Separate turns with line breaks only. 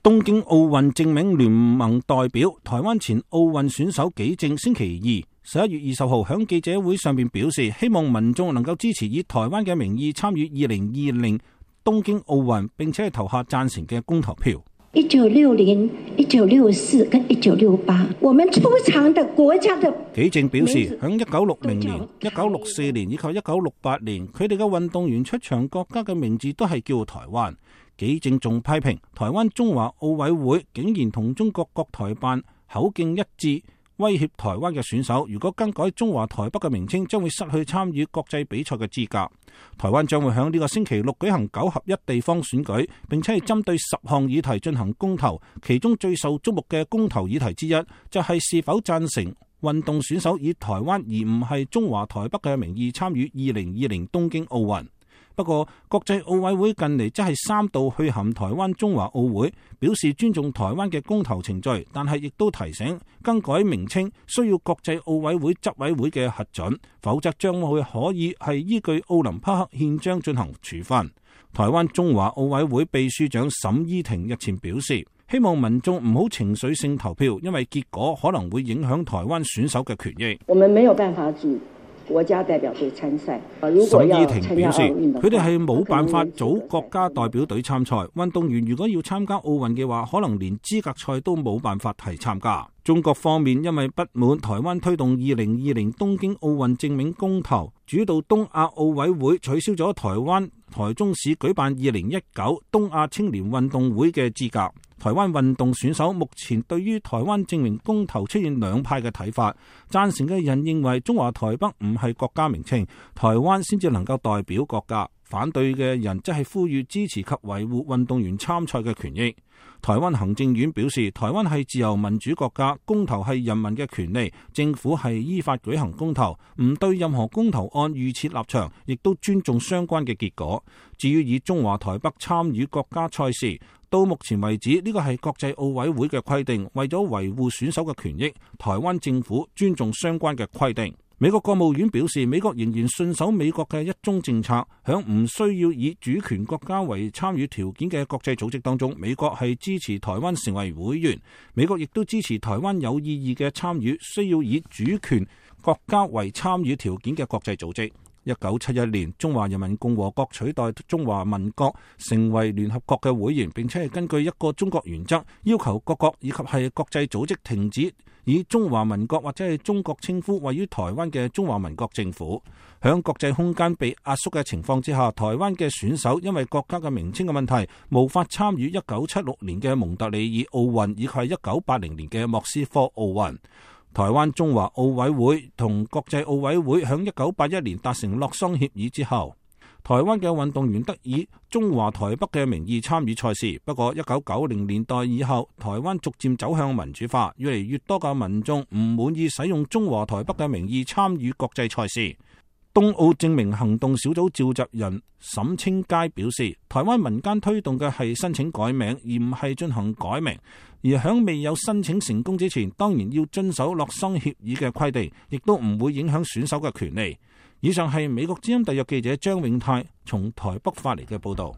東京奧運正名聯盟代表台灣前奧運選手紀政星期二11月20號響記者會上面表示，希望民眾能夠支持以台灣嘅名義參與2020東京奧運，並且係投下贊成嘅公投票。
1960、1964跟1968，我們出場的國家的
紀政表示，響1960年、1964年以及1968年，佢哋嘅運動員出場國家嘅名字都係叫台灣。紀政仲批評台灣中華奧委會竟然同中國國台辦口徑一致，威脅台灣嘅選手，如果更改中華台北嘅名稱，將會失去參與國際比賽嘅資格。台灣將會響呢個星期六舉行9合1地方選舉，並且係針對10項議題進行公投，其中最受矚目嘅公投議題之一，就係是否贊成運動選手以台灣而唔係中華台北嘅名義參與2020東京奧運。不過，國際奧委會近嚟則係3度去函台灣中華奧會，表示尊重台灣嘅公投程序，但係亦都提醒更改名稱需要國際奧委會執委會嘅核准，否則將會可以係依據奧林匹克憲章進行處分。台灣中華奧委會秘書長沈依婷日前表示，希望民眾唔好情緒性投票，因為結果可能會影響台灣選手嘅權益。
我們沒有辦法組國家代表隊參賽。
沈依婷表示，佢哋係冇辦法組國家代表隊參賽。運動員如果要參加奧運嘅話，可能連資格賽都冇辦法係參加。中國方面因為不滿台灣推動2020東京奧運正名公投，主導東亞奧委會取消咗台灣台中市舉辦2019東亞青年運動會嘅資格。台灣運動選手目前對於台灣正名公投出現兩派嘅睇法，贊成嘅人認為中華台北唔係國家名稱，台灣先至能夠代表國家。反對嘅人則係呼籲支持及維護運動員參賽嘅權益。台灣行政院表示，台灣係自由民主國家，公投係人民嘅權利，政府係依法舉行公投，唔對任何公投案預設立場，亦都尊重相關嘅結果。至於以中華台北參與國家賽事，到目前為止呢個係國際奧委會嘅規定，為咗維護選手嘅權益，台灣政府尊重相關嘅規定。美國國務院表示，美國仍然信守美國嘅一中政策，響唔需要以主權國家為參與條件嘅國際組織當中，美國係支持台灣成為會員。美國亦都支持台灣有意義嘅參與需要以主權國家為參與條件嘅國際組織。1971年，中華人民共和國取代中華民國成為聯合國嘅會員，並且係根據一個中國原則，要求各國以及係國際組織停止以中華民國或者係中國稱呼位於台灣嘅中華民國政府。響國際空間被壓縮嘅情況之下，台灣嘅選手因為國家嘅名稱嘅問題，無法參與1976年嘅蒙特利爾奧運以及係1980年嘅莫斯科奧運。台灣中華奧委會同國際奧委會響1981年達成洛桑協議之後，台灣嘅運動員得以中華台北嘅名義參與賽事。不過1990年代以後，台灣逐漸走向民主化，越嚟越多嘅民眾唔滿意使用中華台北嘅名義參與國際賽事。東奧正名行動小組召集人沈清佳表示，台灣民間推動嘅係申請改名，而唔係進行改名。而響未有申請成功之前，當然要遵守洛桑協議嘅規定，亦都唔會影響選手嘅權利。以上係美國之音特約記者張永泰從台北發嚟嘅報道。